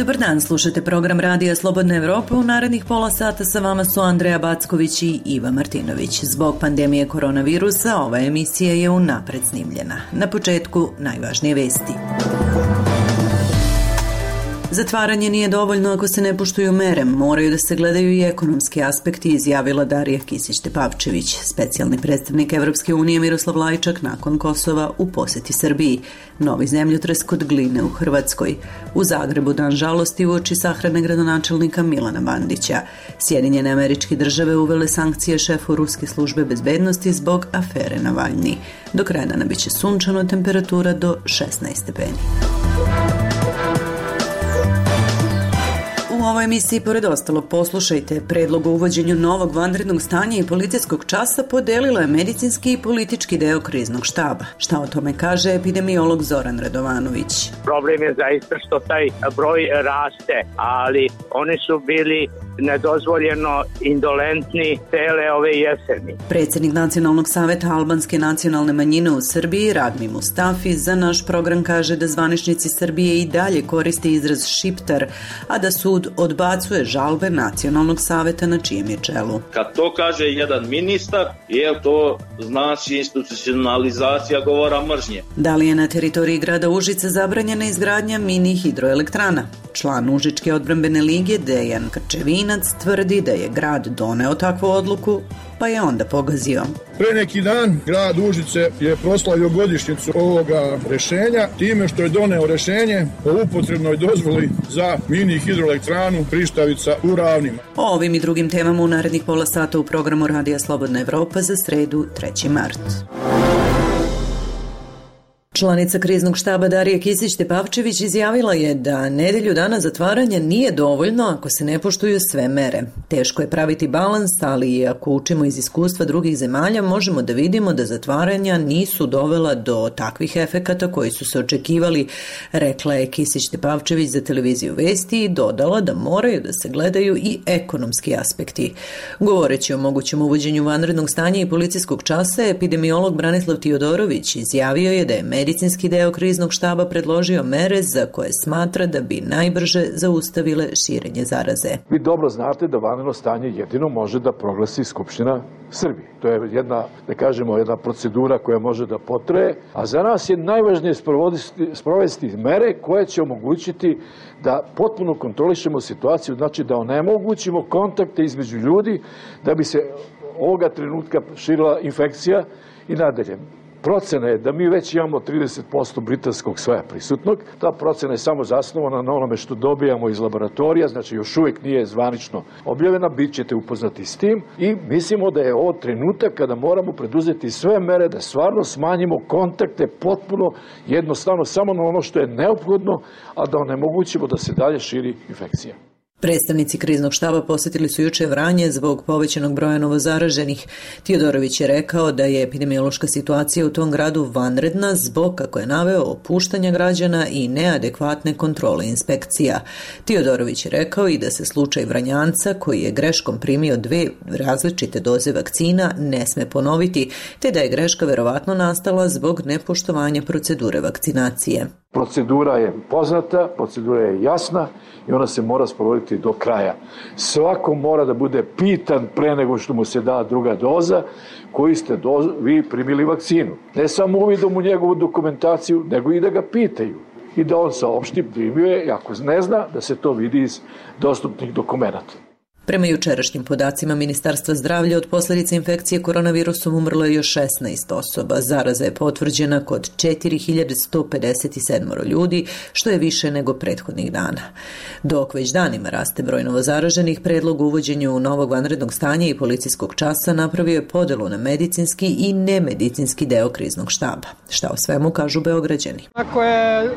Dobar dan, slušate program Radija Slobodna Evropa. U narednih pola sata sa vama su Andreja Backović i Iva Martinović. Zbog pandemije koronavirusa ova emisija je unapred snimljena. Na početku najvažnije vesti. Zatvaranje nije dovoljno ako se ne poštuju mere, moraju da se gledaju i ekonomski aspekti, izjavila Darija Kisić-Tepavčević, specijalni predstavnik Evropske unije Miroslav Lajčak nakon Kosova u poseti Srbiji, novi zemljotres kod Gline u Hrvatskoj, u Zagrebu dan žalosti uoči sahrane gradonačelnika Milana Bandića, Sjedinjene Američke Države uvele sankcije šefu Ruske službe bezbednosti zbog afere Navalni. Do kraja dana biće sunčano, temperatura do 16 stepeni. U ovoj emisiji, pored ostalog, poslušajte predlog o uvođenju novog vanrednog stanja i policijskog časa podelila je medicinski i politički deo kriznog štaba. Šta o tome kaže epidemiolog Zoran Radovanović? Problem je zaista što taj broj raste, ali oni su bili nedozvoljeno indolentni cele ove jeseni. Predsjednik Nacionalnog saveta albanske nacionalne manjine u Srbiji, Radmi Mustafi, za naš program kaže da zvaničnici Srbije i dalje koriste izraz šiptar, a da sud odbacuje žalbe Nacionalnog saveta na čijem je čelu. Kad to kaže jedan ministar, to znači institucionalizacija govora mržnje. Da li je na teritoriji grada Užice zabranjena izgradnja mini hidroelektrana? Član Užičke odbrambene lige Dejan Krčevinac tvrdi da je grad doneo takvu odluku, pa je onda pogazio. Pre neki dan grad Užice je proslavio godišnjicu ovoga rešenja time što je doneo rešenje o upotrebnoj dozvoli za mini hidroelektranu Prištavica u Ravnima. O ovim i drugim temama u narednih pola sata u programu Radija Slobodna Evropa za sredu 3. mart. Članica kriznog štaba Darija Kisić-Tepavčević izjavila je da nedelju dana zatvaranja nije dovoljno ako se ne poštuju sve mere. Teško je praviti balans, ali i ako učimo iz iskustva drugih zemalja, možemo da vidimo da zatvaranja nisu dovela do takvih efekata koji su se očekivali, rekla je Kisić-Tepavčević za televiziju Vesti i dodala da moraju da se gledaju i ekonomski aspekti. Govoreći o mogućem uvođenju vanrednog stanja i policijskog časa, epidemiolog Branislav Tiodorović izjavio je da je medicinski deo kriznog štaba predložio mere za koje smatra da bi najbrže zaustavile širenje zaraze. Vi dobro znate da vanredno stanje jedino može da proglasi Skupština Srbije. To je jedna procedura koja može da potraje, a za nas je najvažnije sprovesti mere koje će omogućiti da potpuno kontrolišemo situaciju, znači da onemogućimo kontakte između ljudi da bi se ovoga trenutka širila infekcija i nadalje. Procena je da mi već imamo 30% britanskog soja prisutnog. Ta procena je samo zasnovana na onome što dobijamo iz laboratorija, znači još uvijek nije zvanično objavljena, bit ćete upoznati s tim i mislimo da je ovo trenutak kada moramo preduzeti sve mere da stvarno smanjimo kontakte potpuno jednostavno samo na ono što je neophodno, a da onemogućimo da se dalje širi infekcija. Predstavnici kriznog štaba posjetili su juče Vranje zbog povećanog broja novozaraženih. Tiodorović je rekao da je epidemiološka situacija u tom gradu vanredna zbog, kako je naveo, opuštanja građana i neadekvatne kontrole inspekcija. Tiodorović je rekao i da se slučaj Vranjanca, koji je greškom primio 2 različite doze vakcina, ne sme ponoviti, te da je greška verovatno nastala zbog nepoštovanja procedure vakcinacije. Procedura je poznata, procedura je jasna i ona se mora sprovoditi do kraja. Svako mora da bude pitan pre nego što mu se da druga doza, koji ste vi primili vakcinu. Ne samo uvidom u njegovu dokumentaciju, nego i da ga pitaju i da on saopšti primio je, ako ne zna, da se to vidi iz dostupnih dokumenata. Prema jučerašnjim podacima Ministarstva zdravlja od posljedice infekcije koronavirusom umrlo je još 16 osoba. Zaraza je potvrđena kod 4157 ljudi, što je više nego prethodnih dana. Dok već danima raste broj novozaraženih, predlog uvođenju novog vanrednog stanja i policijskog časa napravio je podelu na medicinski i nemedicinski deo kriznog štaba. Šta o svemu kažu Beograđani? Ako je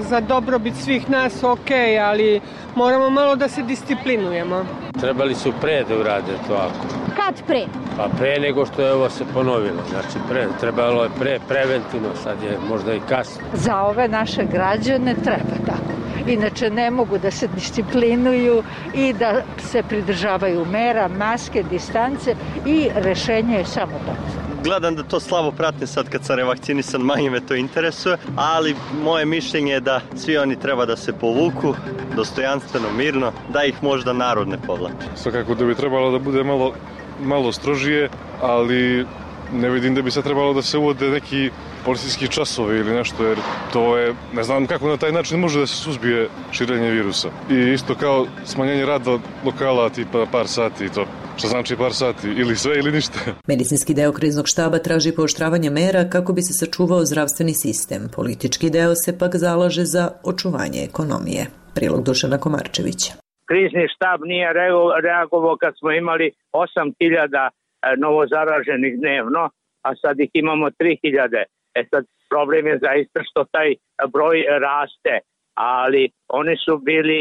za dobrobit svih nas, ok, ali moramo malo da se disciplinujemo. Trebali su pre da urade to ako. Kad pre? Pa pre nego što je ovo se ponovilo. Znači trebalo je preventivno, sad je možda i kasno. Za ove naše građane treba tako. Inače ne mogu da se disciplinuju i da se pridržavaju mera, maske, distance i rešenje je samo to. gledam da to slabo pratim sad kad sam revakcinisan, manje me to interesuje, ali moje mišljenje je da svi oni treba da se povuku dostojanstveno, mirno, da ih možda narod ne povlači. Svakako da bi trebalo da bude malo strožije, ali ne vidim da bi se trebalo da se uvode neki policijski časovi ili nešto, jer to je, ne znam kako na taj način može da se suzbije širenje virusa. I isto kao smanjenje rada lokala tipa par sati, to što znači par sati, ili sve ili ništa. Medicinski deo kriznog štaba traži pooštravanje mera kako bi se sačuvao zdravstveni sistem. Politički deo se pak zalaže za očuvanje ekonomije. Prilog Dušana Komarčevića. Krizni štab nije reagovao kad smo imali 8.000 novozaraženih dnevno, a sad ih imamo 3.000. Sad problem je zaista što taj broj raste, ali oni su bili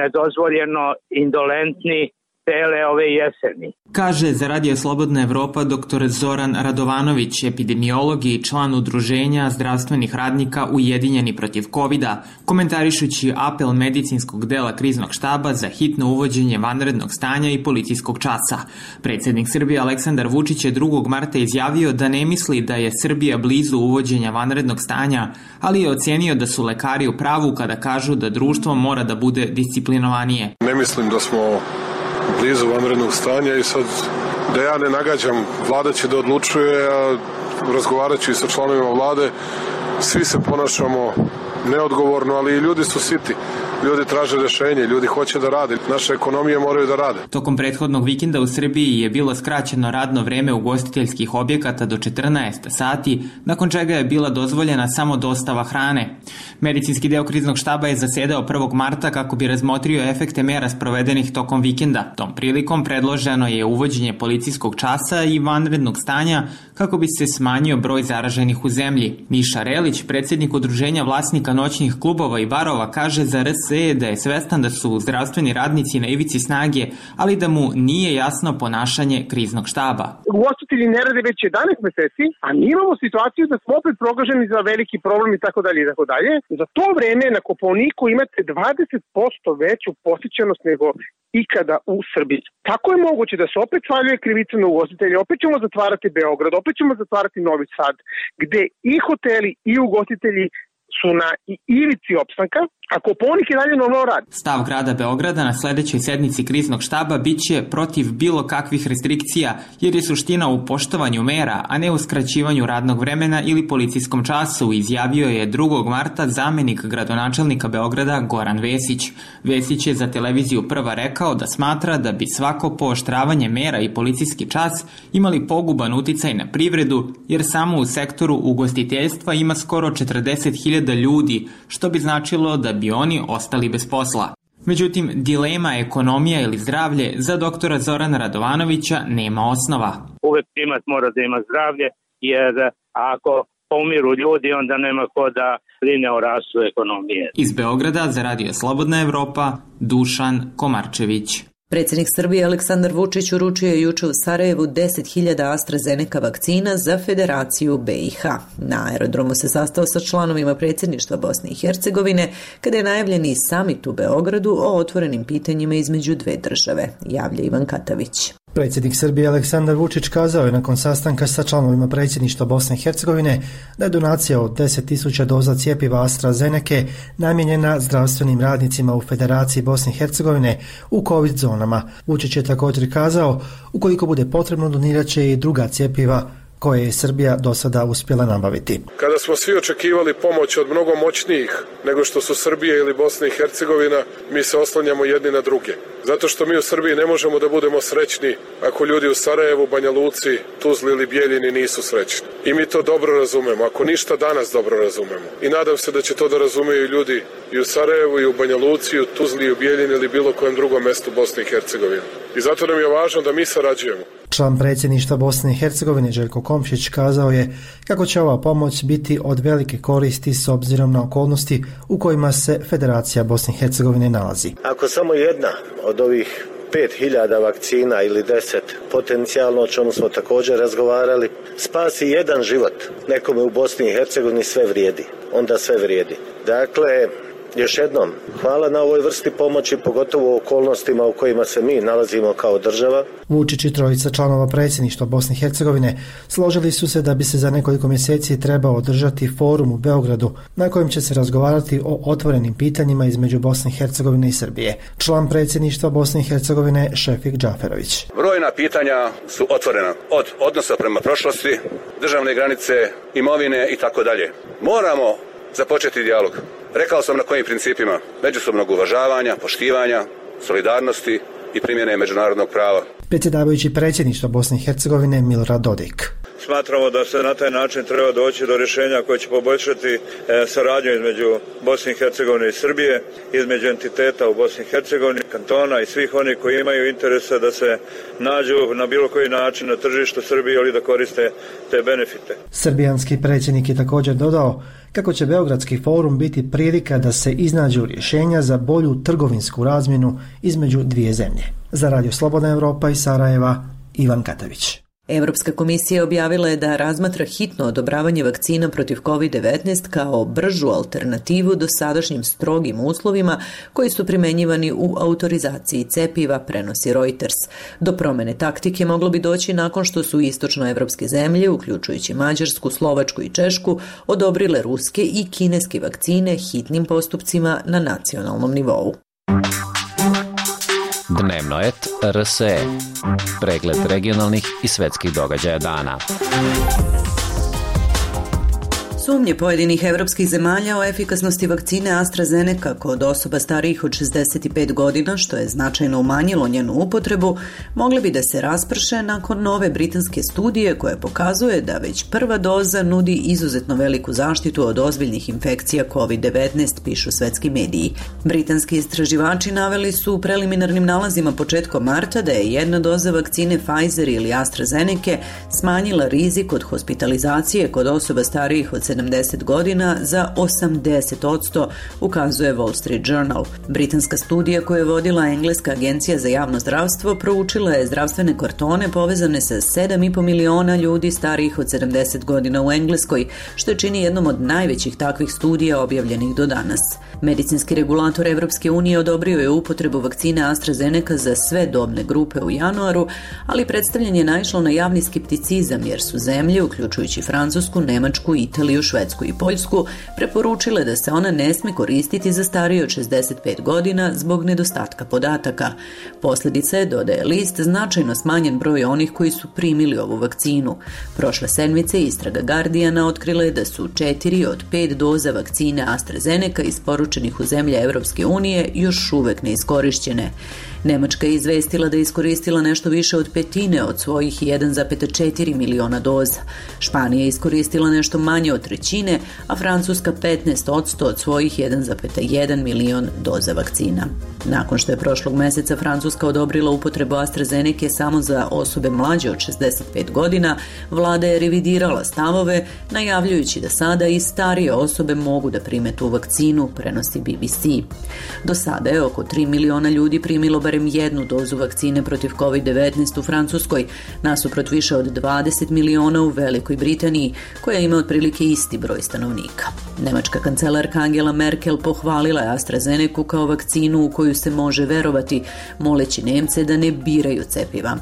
nedozvoljeno indolentni cele ove jeseni. Kaže za Radio Slobodna Evropa dr. Zoran Radovanović, epidemiolog i član udruženja zdravstvenih radnika Ujedinjeni protiv COVID-a, komentarišući apel medicinskog dela kriznog štaba za hitno uvođenje vanrednog stanja i policijskog časa. Predsjednik Srbije Aleksandar Vučić je 2. marta izjavio da ne misli da je Srbija blizu uvođenja vanrednog stanja, ali je ocenio da su lekari u pravu kada kažu da društvo mora da bude disciplinovanije. Ne mislim da smo blizu vanrednog stanja i sad da ja ne nagađam, vlada će da odlučuje, a razgovarat ću i sa članovima vlade, svi se ponašamo neodgovorno, ali i ljudi su siti. Ljudi traže rešenje, ljudi hoće da rade, naše ekonomije moraju da rade. Tokom prethodnog vikenda u Srbiji je bilo skraćeno radno vreme ugostiteljskih objekata do 14 sati, nakon čega je bila dozvoljena samo dostava hrane. Medicinski deo kriznog štaba je zasedao 1. marta kako bi razmotrio efekte mera sprovedenih tokom vikenda. Tom prilikom predloženo je uvođenje policijskog časa i vanrednog stanja kako bi se smanjio broj zaraženih u zemlji. Miša Relić, predsjednik udruženja vlasnika noćnih klubova i barova, kaže za RS da je svestan da su zdravstveni radnici na ivici snage, ali da mu nije jasno ponašanje kriznog štaba. Ugostitelji ne rade već 11 meseci, a mi imamo situaciju da smo opet proglašeni za veliki problem i tako dalje i tako dalje. Za to vreme na Kopaoniku imate 20% veću posjećenost nego ikada u Srbiji. Tako je moguće da se opet svaljuje krivica na ugostitelje, opet ćemo zatvarati Beograd, opet ćemo zatvarati Novi Sad, gde i hoteli i ugostitelji su na ivici opstanka, a Kopaonik je dalje normalno radi. Stav grada Beograda na sledećoj sednici kriznog štaba biće protiv bilo kakvih restrikcija, jer je suština u poštovanju mera, a ne u skraćivanju radnog vremena ili policijskom času, izjavio je 2. marta zamenik gradonačelnika Beograda Goran Vesić. Vesić je za televiziju Prva rekao da smatra da bi svako pooštravanje mera i policijski čas imali poguban uticaj na privredu, jer samo u sektoru ugostiteljstva ima skoro 40.000 ljudi, što bi značilo da bi oni ostali bez posla. Međutim, dilema ekonomija ili zdravlje za doktora Zorana Radovanovića nema osnova. Uvek primat mora da ima zdravlje, jer ako pomiru ljudi, onda nema ko da brine o rastu ekonomije. Iz Beograda za Radio Slobodna Evropa, Dušan Komarčević. Predsjednik Srbije Aleksandar Vučić uručio je juče u Sarajevu 10.000 AstraZeneca vakcina za Federaciju BiH. Na aerodromu se sastao sa članovima predsjedništva Bosne i Hercegovine kada je najavljen i samit u Beogradu o otvorenim pitanjima između dve države, javlja Ivan Katavić. Predsjednik Srbije Aleksandar Vučić kazao je nakon sastanka sa članovima predsjedništva Bosne i Hercegovine da je donacija od 10.000 doza cjepiva AstraZeneca namijenjena zdravstvenim radnicima u Federaciji Bosne i Hercegovine u COVID zonama. Vučić je također kazao, ukoliko bude potrebno donirat će i druga cjepiva koje je Srbija do sada uspjela nabaviti. Kada smo svi očekivali pomoć od mnogo moćnijih nego što su Srbija ili Bosna i Hercegovina, mi se oslanjamo jedni na druge. Zato što mi u Srbiji ne možemo da budemo srećni ako ljudi u Sarajevu, Banja Luci, Tuzli ili Bijeljini nisu srećni. I mi to dobro razumemo, ako ništa danas dobro razumemo. I nadam se da će to da razumeju ljudi i u Sarajevu, i u Banja Luci, i u Tuzli, i u Bijeljini ili bilo kojem drugom mestu Bosne i Hercegovine. I zato nam je važno da mi sarađujemo. Član predsjedništva Bosne i Hercegovine Željko Komšić kazao je kako će ova pomoć biti od velike koristi s obzirom na okolnosti u kojima se Federacija Bosne i Hercegovine nalazi. Ako samo jedna od ovih 5.000 vakcina ili 10 potencijalno, o čemu smo također razgovarali, spasi jedan život nekome u Bosni i Hercegovini, sve vrijedi. Onda sve vrijedi. Dakle, Još jednom, hvala na ovoj vrsti pomoći, pogotovo u okolnostima u kojima se mi nalazimo kao država. Vučić i trojica članova predsjedništva Bosne i Hercegovine složili su se da bi se za nekoliko mjeseci trebao održati forum u Beogradu na kojem će se razgovarati o otvorenim pitanjima između Bosne i Hercegovine i Srbije. Član predsjedništva Bosne i Hercegovine Šefik Džaferović. Brojna pitanja su otvorena, od odnosa prema prošlosti, državne granice, imovine i tako dalje. Moramo započeti dijalog. Rekao sam na kojim principima: međusobnog uvažavanja, poštivanja, solidarnosti i primjene međunarodnog prava. Predsjedavajući predsjedništva Bosne i Hercegovine Milorad Dodik. Smatramo da se na taj način treba doći do rješenja koje će poboljšati saradnju između Bosne i Hercegovine i Srbije, između entiteta u Bosni i Hercegovini, kantona i svih onih koji imaju interesa da se nađu na bilo koji način na tržištu Srbije ili da koriste te benefite. Srbijanski predsjednik je također dodao kako će Beogradski forum biti prilika da se iznađu rješenja za bolju trgovinsku razmjenu između dvije zemlje. Za Radio Slobodna Evropa iz Sarajeva, Ivan Katavić. Europska komisija objavila je da razmatra hitno odobravanje vakcina protiv COVID-19 kao bržu alternativu do sadašnjim strogim uslovima koji su primenjivani u autorizaciji cepiva, prenosi Reuters. Do promene taktike moglo bi doći nakon što su istočnoevropske zemlje, uključujući Mađarsku, Slovačku i Češku, odobrile ruske i kineske vakcine hitnim postupcima na nacionalnom nivou. Dnevno et RSE. Pregled regionalnih i svetskih događaja dana. Sumnje pojedinih evropskih zemalja o efikasnosti vakcine AstraZeneca kod osoba starijih od 65 godina, što je značajno umanjilo njenu upotrebu, mogle bi da se rasprše nakon nove britanske studije koja pokazuje da već prva doza nudi izuzetno veliku zaštitu od ozbiljnih infekcija COVID-19, pišu svetski mediji. Britanski istraživači naveli su u preliminarnim nalazima početkom marta da je jedna doza vakcine Pfizer ili AstraZeneca smanjila rizik od hospitalizacije kod osoba starijih od 70 godina za 80%, ukazuje Wall Street Journal. Britanska studija koju je vodila Engleska agencija za javno zdravstvo proučila je zdravstvene kartone povezane sa 7,5 miliona ljudi starijih od 70 godina u Engleskoj, što je čini jednom od najvećih takvih studija objavljenih do danas. Medicinski regulator Evropske unije odobrio je upotrebu vakcine AstraZeneca za sve dobne grupe u januaru, ali predstavljanje je naišlo na javni skepticizam jer su zemlje, uključujući Francusku, Nemačku, Italiju, Švedsku i Poljsku, preporučile da se ona ne sme koristiti za starije od 65 godina zbog nedostatka podataka. Posljedica je, dodaje list, značajno smanjen broj onih koji su primili ovu vakcinu. Prošle sedmice istraga Guardiana otkrila je da su 4 od 5 doza vakcine AstraZeneca isporučenih u zemlje Evropske unije još uvek neiskorišćene. Nemačka je izvestila da je iskoristila nešto više od petine od svojih 1,4 miliona doza. Španija je iskoristila nešto manje od trećine, a Francuska 15% od svojih 1,1 milion doza vakcina. Nakon što je prošlog meseca Francuska odobrila upotrebu AstraZeneca samo za osobe mlađe od 65 godina, vlada je revidirala stavove, najavljujući da sada i starije osobe mogu da prime tu vakcinu, prenosi BBC. Do sada je oko 3 miliona ljudi primilo barem jednu dozu vakcine protiv COVID-19 u Francuskoj, nasuprot više od 20 miliona u Velikoj Britaniji, koja ima otprilike isti broj stanovnika. Nemačka kancelarka Angela Merkel pohvalila je AstraZenecu kao vakcinu u koju se može verovati, moleći Nemce da ne biraju cepiva.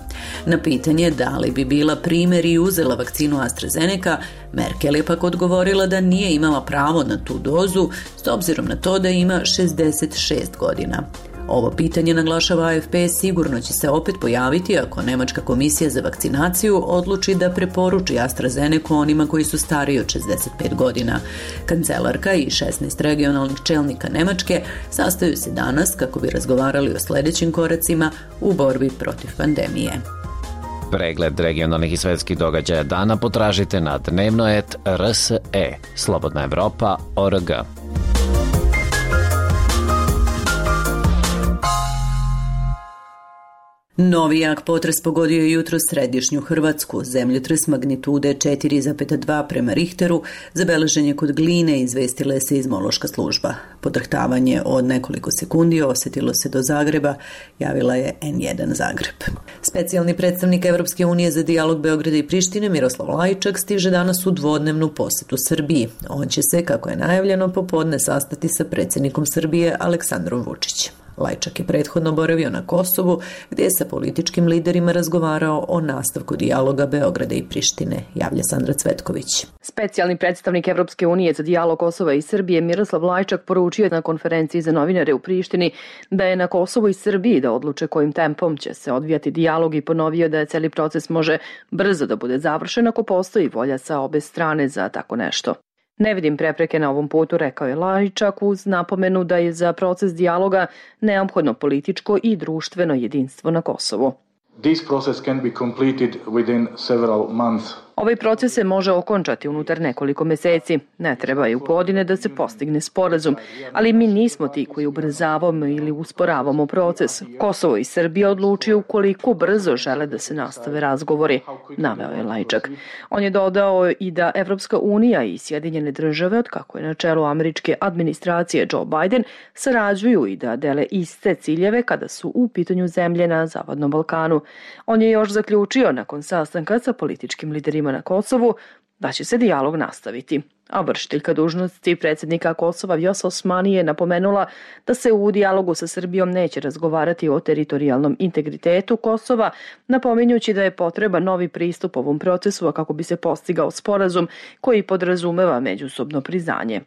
Na pitanje da li bi bila primjer i uzela vakcinu AstraZeneca, Merkel je pak odgovorila da nije imala pravo na tu dozu s obzirom na to da ima 66 godina. Ovo pitanje, naglašava AFP, sigurno će se opet pojaviti ako Nemačka komisija za vakcinaciju odluči da preporuči AstraZenecu onima koji su stariji od 65 godina. Kancelarka i 16 regionalnih čelnika Nemačke sastaju se danas kako bi razgovarali o sljedećim koracima u borbi protiv pandemije. Pregled regionalnih i svetskih događaja dana potražite na dnevno.rs.e, Slobodna Evropa.org. Novi jak potres pogodio je jutro središnju Hrvatsku. Zemljotres magnitude 4,2 prema Richteru zabeležen je kod Gline, izvestila je seizmološka služba. Podrhtavanje od nekoliko sekundi osjetilo se do Zagreba, javila je N1 Zagreb. Specijalni predstavnik Evropske unije za dijalog Beograda i Prištine Miroslav Lajčak stiže danas u dvodnevnu posjetu Srbiji. On će se, kako je najavljeno, popodne sastati sa predsjednikom Srbije Aleksandrom Vučićem. Lajčak je prethodno boravio na Kosovu, gdje je sa političkim liderima razgovarao o nastavku dijaloga Beograda i Prištine, javlja Sandra Cvetković. Specijalni predstavnik Evropske unije za dijalog Kosova i Srbije Miroslav Lajčak poručio na konferenciji za novinare u Prištini da je na Kosovu i Srbiji da odluče kojim tempom će se odvijati dijalog i ponovio da je cijeli proces može brzo da bude završen ako postoji volja sa obe strane za tako nešto. Ne vidim prepreke na ovom putu, rekao je Lajčak uz napomenu da je za proces dijaloga neophodno političko i društveno jedinstvo na Kosovu. This process can be completed within several months. Ovaj proces se može okončati unutar nekoliko meseci. Ne trebaju godine da se postigne sporazum, ali mi nismo ti koji ubrzavamo ili usporavamo proces. Kosovo i Srbija odlučuju koliko brzo žele da se nastave razgovori, naveo je Lajčak. On je dodao i da Evropska unija i Sjedinjene države, od kako je na čelu američke administracije Joe Biden, sarađuju i da dele iste ciljeve kada su u pitanju zemlje na Zapadnom Balkanu. On je još zaključio nakon sastanka sa političkim liderima na Kosovu da će se dijalog nastaviti. A vršiteljka dužnosti predsjednika Kosova Vjosa Osmani je napomenula da se u dijalogu sa Srbijom neće razgovarati o teritorijalnom integritetu Kosova, napominjući da je potreban novi pristup ovom procesu, a kako bi se postigao sporazum koji podrazumeva međusobno priznanje.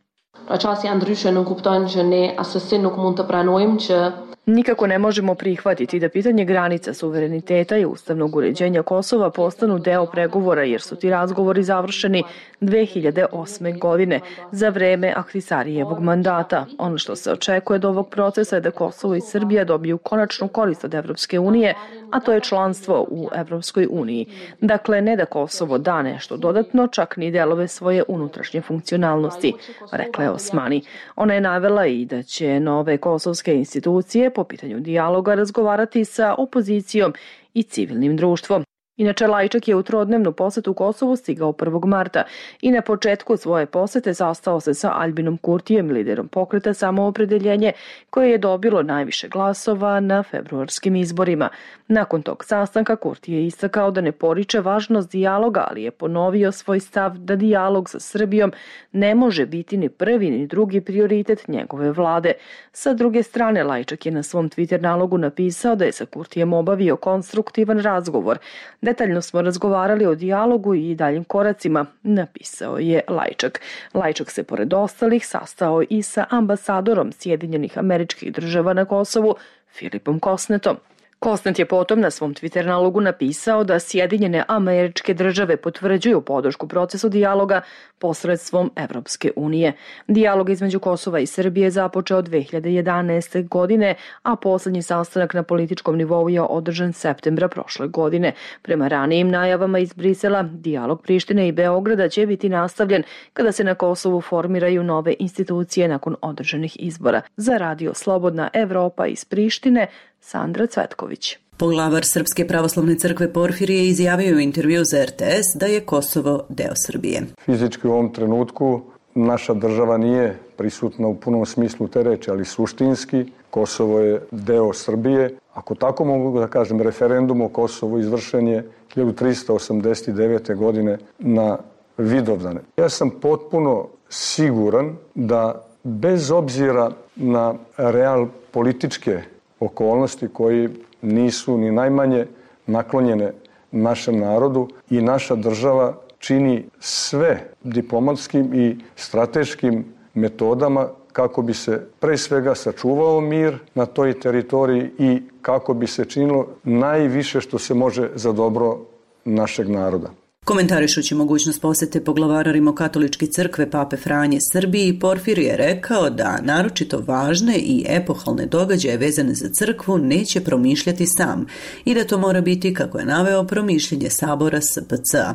Nikako ne možemo prihvatiti da pitanje granica, suvereniteta i ustavnog uređenja Kosova postanu deo pregovora jer su ti razgovori završeni 2008. godine za vreme Ahtisarijevog mandata. Ono što se očekuje od ovog procesa je da Kosovo i Srbija dobiju konačnu korist od Evropske unije, a to je članstvo u Evropskoj uniji. Dakle, ne da Kosovo da nešto dodatno, čak ni delove svoje unutrašnje funkcionalnosti, rekla je Osmani. Ona je navela i da će nove kosovske institucije po pitanju dijaloga razgovarati sa opozicijom i civilnim društvom. Inače, Lajčak je u trodnevnu posetu Kosovu stigao 1. marta i na početku svoje posete sastao se sa Albinom Kurtijem, liderom pokreta Samoopredeljenje, koje je dobilo najviše glasova na februarskim izborima. Nakon tog sastanka Kurti je istakao da ne poriče važnost dijaloga, ali je ponovio svoj stav da dijalog sa Srbijom ne može biti ni prvi ni drugi prioritet njegove vlade. Sa druge strane, Lajčak je na svom Twitter nalogu napisao da je sa Kurtijem obavio konstruktivan razgovor. Detaljno smo razgovarali o dijalogu i daljim koracima, napisao je Lajčak. Lajčak se pored ostalih sastao i sa ambasadorom Sjedinjenih Američkih Država na Kosovu, Filipom Kosnetom. Kosnet je potom na svom Twitter nalogu napisao da Sjedinjene Američke Države potvrđuju podršku procesu dijaloga posredstvom Evropske unije. Dijalog između Kosova i Srbije započeo 2011. godine, a poslednji sastanak na političkom nivou je održan septembra prošle godine. Prema ranijim najavama iz Brisela, dijalog Prištine i Beograda će biti nastavljen kada se na Kosovu formiraju nove institucije nakon održanih izbora. Za Radio Slobodna Evropa iz Prištine, Sandra Cvetković. Poglavar Srpske pravoslavne crkve Porfirije izjavio u intervju za RTS da je Kosovo deo Srbije. Fizički u ovom trenutku naša država nije prisutna u punom smislu te reči, ali suštinski Kosovo je deo Srbije. Ako tako mogu da kažem, referendum o Kosovu izvršen je 1389. godine na Vidovdane. Ja sam potpuno siguran da bez obzira na real političke okolnosti koji nisu ni najmanje naklonjene našem narodu i naša država čini sve diplomatskim i strateškim metodama kako bi se pre svega sačuvao mir na toj teritoriji i kako bi se činilo najviše što se može za dobro našeg naroda. Komentarišući mogućnost posete poglavara Rimokatoličke crkve Pape Franje Srbiji, Porfirije je rekao da naročito važne i epohalne događaje vezane za crkvu neće promišljati sam i da to mora biti, kako je naveo, promišljenje sabora SPC-a.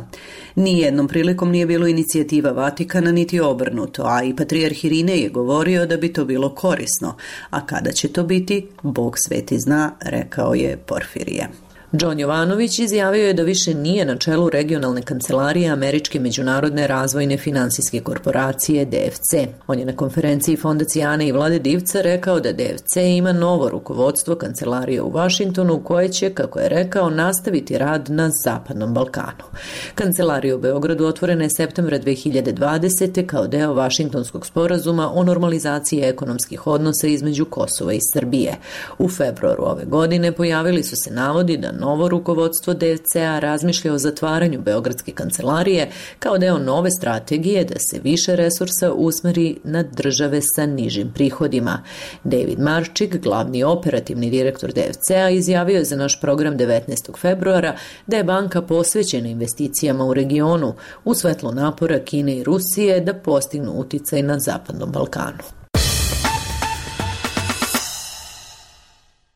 Nijednom prilikom nije bilo inicijativa Vatikana niti obrnuto, a i patrijarh Irinej je govorio da bi to bilo korisno. A kada će to biti, Bog sveti zna, rekao je Porfirije. John Jovanović izjavio je da više nije na čelu regionalne kancelarije Američke međunarodne razvojne finansijske korporacije DFC. On je na konferenciji Fondacije Ane i Vlade Divca rekao da DFC ima novo rukovodstvo kancelarije u Vašingtonu koje će, kako je rekao, nastaviti rad na Zapadnom Balkanu. Kancelarija u Beogradu otvorena je septembra 2020. kao deo Vašingtonskog sporazuma o normalizaciji ekonomskih odnosa između Kosova i Srbije. U februaru ove godine pojavili su se navodi da novo rukovodstvo DFC-a razmišlja o zatvaranju Beogradske kancelarije kao deo nove strategije da se više resursa usmeri na države sa nižim prihodima. David Marčik, glavni operativni direktor DFC-a, izjavio je za naš program 19. februara da je banka posvećena investicijama u regionu u svetlu napora Kine i Rusije da postignu uticaj na Zapadnom Balkanu.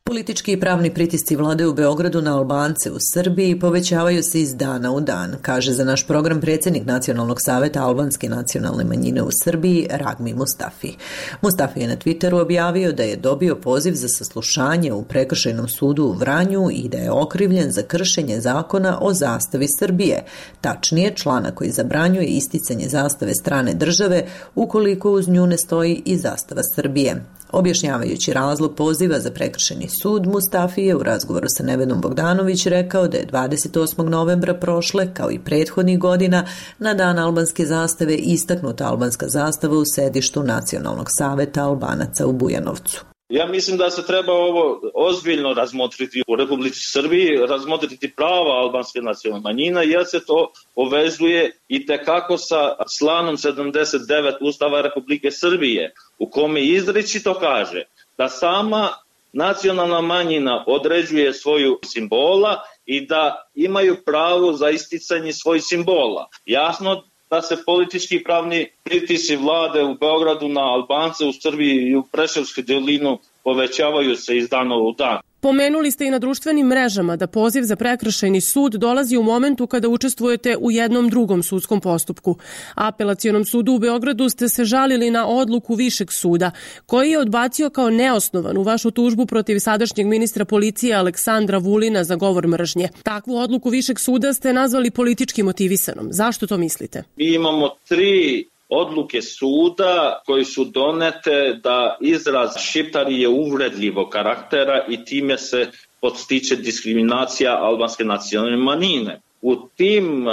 Politički i pravni pritisci vlade u Beogradu na Albance u Srbiji povećavaju se iz dana u dan, kaže za naš program predsjednik Nacionalnog saveta albanske nacionalne manjine u Srbiji Ragmi Mustafi. Mustafi je na Twitteru objavio da je dobio poziv za saslušanje u Prekršajnom sudu u Vranju i da je okrivljen za kršenje zakona o zastavi Srbije, tačnije člana koji zabranjuje isticanje zastave strane države ukoliko uz nju ne stoji i zastava Srbije. Objašnjavajući razlog poziva za prekršajni sud, Mustafi je u razgovoru sa Nevedom Bogdanović rekao da je 28. novembra prošle, kao i prethodnih godina, na dan albanske zastave istaknuta albanska zastava u sedištu Nacionalnog saveta Albanaca u Bujanovcu. Ja mislim da se treba ovo ozbiljno razmotriti u Republici Srbiji, razmotriti prava albanske nacionalne manjine, jer se to povezuje i tekako sa članom 79 Ustava Republike Srbije, u kome izričito kaže da sama nacionalna manjina određuje svoju simbola i da imaju pravo za isticanje svojih simbola. Jasno da se politički i pravni pritisci vlade u Beogradu na Albance u Srbiji i u Preševskoj dolinu povećavaju se iz dana u dan. Pomenuli ste i na društvenim mrežama da poziv za prekršajni sud dolazi u momentu kada učestvujete u jednom drugom sudskom postupku. Apelacionom sudu u Beogradu ste se žalili na odluku Višeg suda, koji je odbacio kao neosnovanu vašu tužbu protiv sadašnjeg ministra policije Aleksandra Vulina za govor mržnje. Takvu odluku Višeg suda ste nazvali politički motivisanom. Zašto to mislite? Mi imamo 3 odluke suda koji su donete da izraz šiptari je uvredljivog karaktera i time se podstiče diskriminacija albanske nacionalne manjine. U tim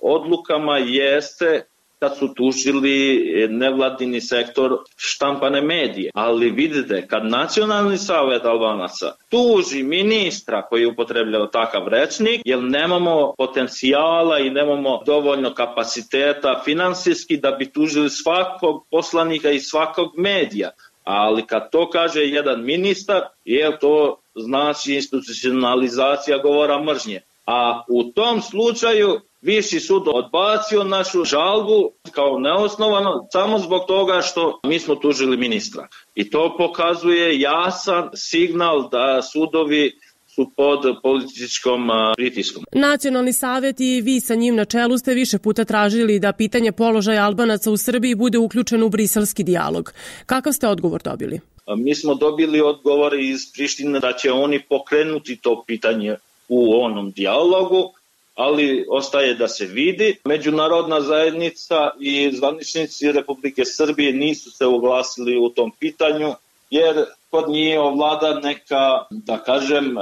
odlukama jeste kad su tužili nevladini sektor štampane medije. Ali vidite, kad Nacionalni savet Albanaca tuži ministra koji upotrebljava takav rečnik, jer nemamo potencijala i nemamo dovoljno kapaciteta finansijski da bi tužili svakog poslanika i svakog medija. Ali kad to kaže jedan ministar, je to znači institucionalizacija govora mržnje. A u tom slučaju Viši sud odbacio našu žalbu kao neosnovano samo zbog toga što mi smo tužili ministra. I to pokazuje jasan signal da sudovi su pod političkom pritiskom. Nacionalni savet i vi sa njim na čelu ste više puta tražili da pitanje položaja Albanaca u Srbiji bude uključeno u briselski dijalog. Kakav ste odgovor dobili? Mi smo dobili odgovor iz Prištine da će oni pokrenuti to pitanje u onom dijalogu, ali ostaje da se vidi. Međunarodna zajednica i zvaničnici Republike Srbije nisu se oglasili u tom pitanju, jer kod njih ovlada neka, da kažem,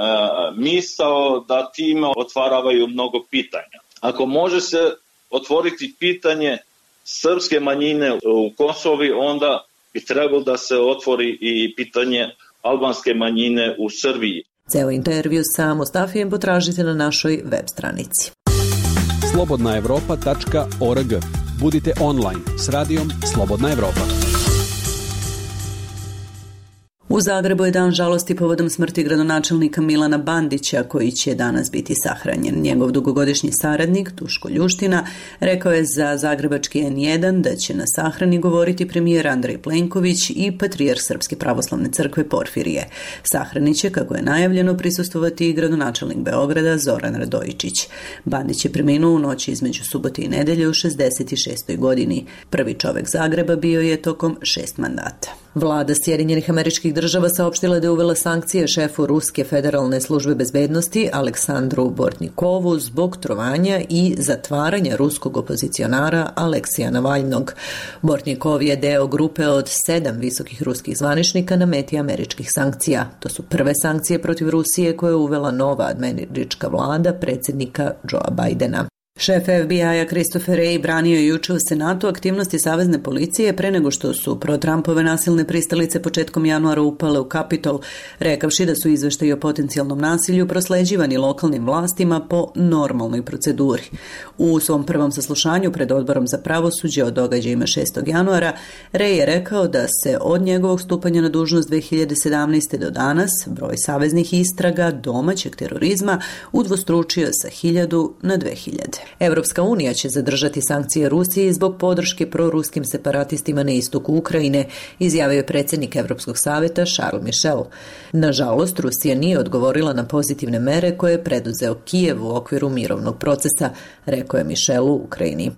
misao da time otvaravaju mnogo pitanja. Ako može se otvoriti pitanje srpske manjine u Kosovi, onda bi trebalo da se otvori i pitanje albanske manjine u Srbiji. Ceo intervju sa Mustafijem potražite na našoj web stranici. slobodnaevropa.org. Budite online s radijom Slobodna Evropa. U Zagrebu je dan žalosti povodom smrti gradonačelnika Milana Bandića, koji će danas biti sahranjen. Njegov dugogodišnji saradnik, Duško Ljuština, rekao je za zagrebački N1 da će na sahrani govoriti premijer Andrej Plenković i patrijarh Srpske pravoslavne crkve Porfirije. Sahrani će, kako je najavljeno, prisustvovati i gradonačelnik Beograda Zoran Radojičić. Bandić je preminuo u noći između subote i nedelje u 66. godini. Prvi čovek Zagreba bio je tokom 6 mandata. Vlada Sjedinjenih Američkih Država saopštila da je uvela sankcije šefu Ruske federalne službe bezbednosti Aleksandru Bortnikovu zbog trovanja i zatvaranja ruskog opozicionara Aleksija Navalnog. Bortnikov je deo grupe od 7 visokih ruskih zvaničnika na meti američkih sankcija. To su prve sankcije protiv Rusije koje je uvela nova američka vlada predsjednika Joea Bidena. Šef FBI-a Christopher Wray branio je juče u Senatu aktivnosti savezne policije pre nego što su pro-Trumpove nasilne pristalice početkom januara upale u Kapitol, rekavši da su izveštaji o potencijalnom nasilju prosleđivani lokalnim vlastima po normalnoj proceduri. U svom prvom saslušanju pred Odborom za pravosuđe o događajima 6. januara, Wray je rekao da se od njegovog stupanja na dužnost 2017. do danas broj saveznih istraga domaćeg terorizma udvostručio sa 1000 na 2000. Evropska unija će zadržati sankcije Rusiji zbog podrške proruskim separatistima na istoku Ukrajine, izjavio je predsjednik Evropskog savjeta Charles Michel. Nažalost, Rusija nije odgovorila na pozitivne mere koje je preduzeo Kijev u okviru mirovnog procesa, rekao je Michel u Ukrajini.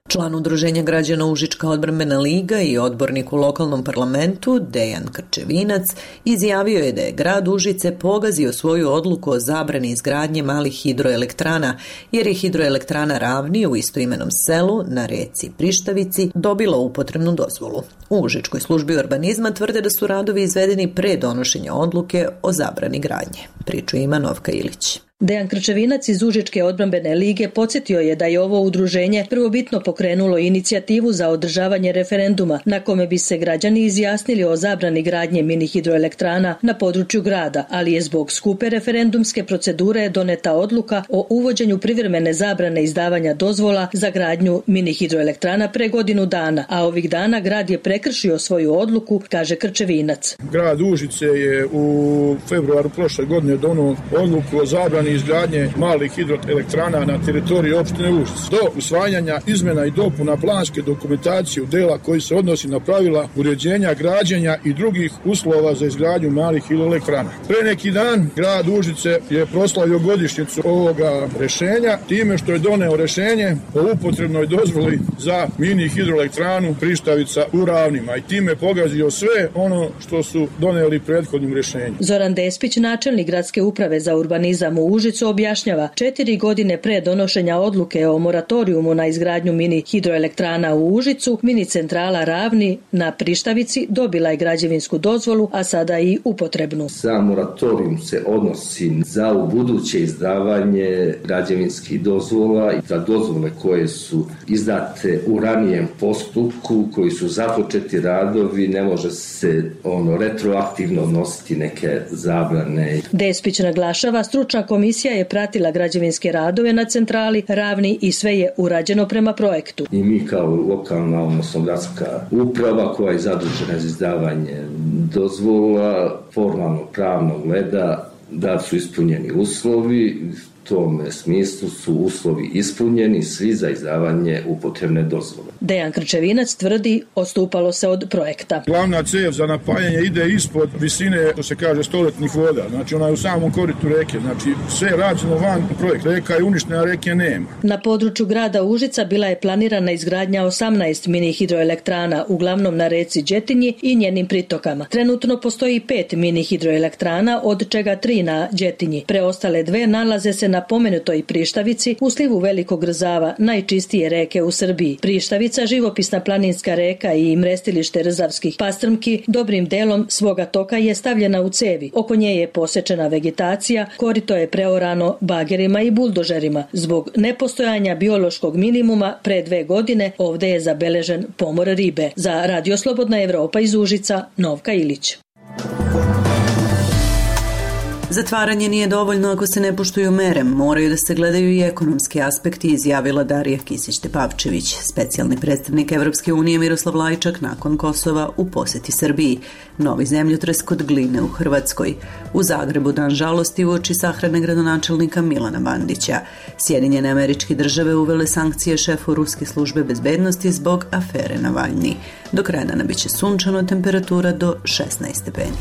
Član Udruženja građana Užička odbrambena liga i odbornik u lokalnom parlamentu Dejan Krčevinac izjavio je da je grad Užice pogazio svoju odluku o zabrani izgradnje malih hidroelektrana, jer je hidroelektrana Ravni u istoimenom selu na reci Prištavici dobila upotrebnu dozvolu. U Užičkoj službi urbanizma tvrde da su radovi izvedeni pre donošenja odluke o zabrani gradnje. Priču ima Novka Ilić. Dejan Krčevinac iz Užičke odbrambene lige podsjetio je da je ovo udruženje prvobitno pokrenulo inicijativu za održavanje referenduma na kome bi se građani izjasnili o zabrani gradnje mini hidroelektrana na području grada, ali je zbog skupe referendumske procedure doneta odluka o uvođenju privremene zabrane izdavanja dozvola za gradnju mini hidroelektrana pre godinu dana, a ovih dana grad je prekršio svoju odluku, kaže Krčevinac. Grad Užice je u februaru prošle godine donio odluku o zabrani izgradnje malih hidroelektrana na teritoriji opštine Užice. Do usvajanja izmena i dopuna planske dokumentacije u dela koji se odnosi na pravila uređenja, građenja i drugih uslova za izgradnju malih hidroelektrana. Pre neki dan grad Užice je proslavio godišnjicu ovoga rešenja time što je doneo rešenje o upotrebnoj dozvoli za mini hidroelektranu Prištavica u Ravnima i time pogazio sve ono što su doneli prethodnim rešenjem. Zoran Despić, načelnik gradske uprave za urbanizam u Užicu, objašnjava 4 godine pre donošenja odluke o moratorijumu na izgradnju mini hidroelektrana u Užicu, mini centrala Ravni na Prištavici dobila je građevinsku dozvolu, a sada i upotrebnu. Sam moratorijum se odnosi za ubuduće izdavanje građevinskih dozvola i za dozvole koje su izdate u ranijem postupku, koji su započeti radovi, ne može se retroaktivno odnositi neke zabrane. Despić naglašava, stručna komisija je pratila građevinske radove na centrali Ravni i sve je urađeno prema projektu. I mi kao lokalna, odnosno gradska uprava koja je zadužena za izdavanje dozvola, formalno pravno gleda da su ispunjeni uslovi. U tome smislu su uslovi ispunjeni svi za izdavanje upotrebne dozvole. Dejan Krčevinac tvrdi, odstupalo se od projekta. Glavna cev za napajanje ide ispod visine, to se kaže, stoletnih voda. Znači ona je u samom koritu reke. Znači sve je rađeno van projekta. Reka je uništena, reke nema. Na području grada Užica bila je planirana izgradnja 18 mini hidroelektrana, uglavnom na reci Đetinji i njenim pritokama. Trenutno postoji 5 mini hidroelektrana, od čega 3 na Đetinji. Preostale 2 nalaze se na pomenutoj Prištavici u slivu Velikog Rzava, najčistije reke u Srbiji. Prištavica, živopisna planinska reka i mrestilište rzavskih pastrmki, dobrim delom svoga toka je stavljena u cevi. Oko nje je posečena vegetacija, korito je preorano bagerima i buldožerima. Zbog nepostojanja biološkog minimuma pre 2 godine ovde je zabeležen pomor ribe. Za Radio Slobodna Evropa iz Užica, Novka Ilić. Zatvaranje nije dovoljno ako se ne poštuju mere, moraju da se gledaju i ekonomski aspekti, izjavila Darija Kisić-Tepavčević, specijalni predstavnik Evropske unije Miroslav Lajčak nakon Kosova u poseti Srbiji, novi zemljotres kod Gline u Hrvatskoj, u Zagrebu dan žalosti uoči sahrane gradonačelnika Milana Bandića. Sjedinjene Američke Države uvele sankcije šefu Ruske službe bezbednosti zbog afere Navalni. Do kraja dana biće sunčano, temperatura do 16 stepeni.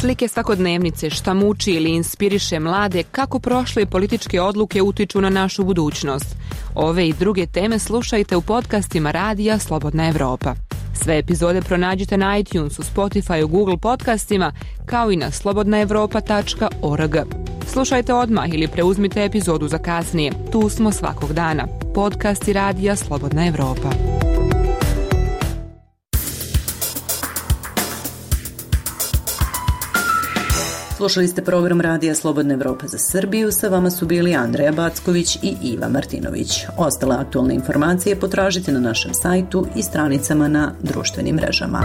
Slike svakodnevnice, šta muči ili inspiriše mlade, kako prošle političke odluke utiču na našu budućnost. Ove i druge teme slušajte u podcastima Radija Slobodna Evropa. Sve epizode pronađite na iTunesu, Spotify, Google podcastima, kao i na slobodnaevropa.org. Slušajte odmah ili preuzmite epizodu za kasnije. Tu smo svakog dana. Podcasti Radija Slobodna Evropa. Slušali ste program Radija Slobodna Evropa za Srbiju, sa vama su bili Andreja Backović i Iva Martinović. Ostale aktualne informacije potražite na našem sajtu i stranicama na društvenim mrežama.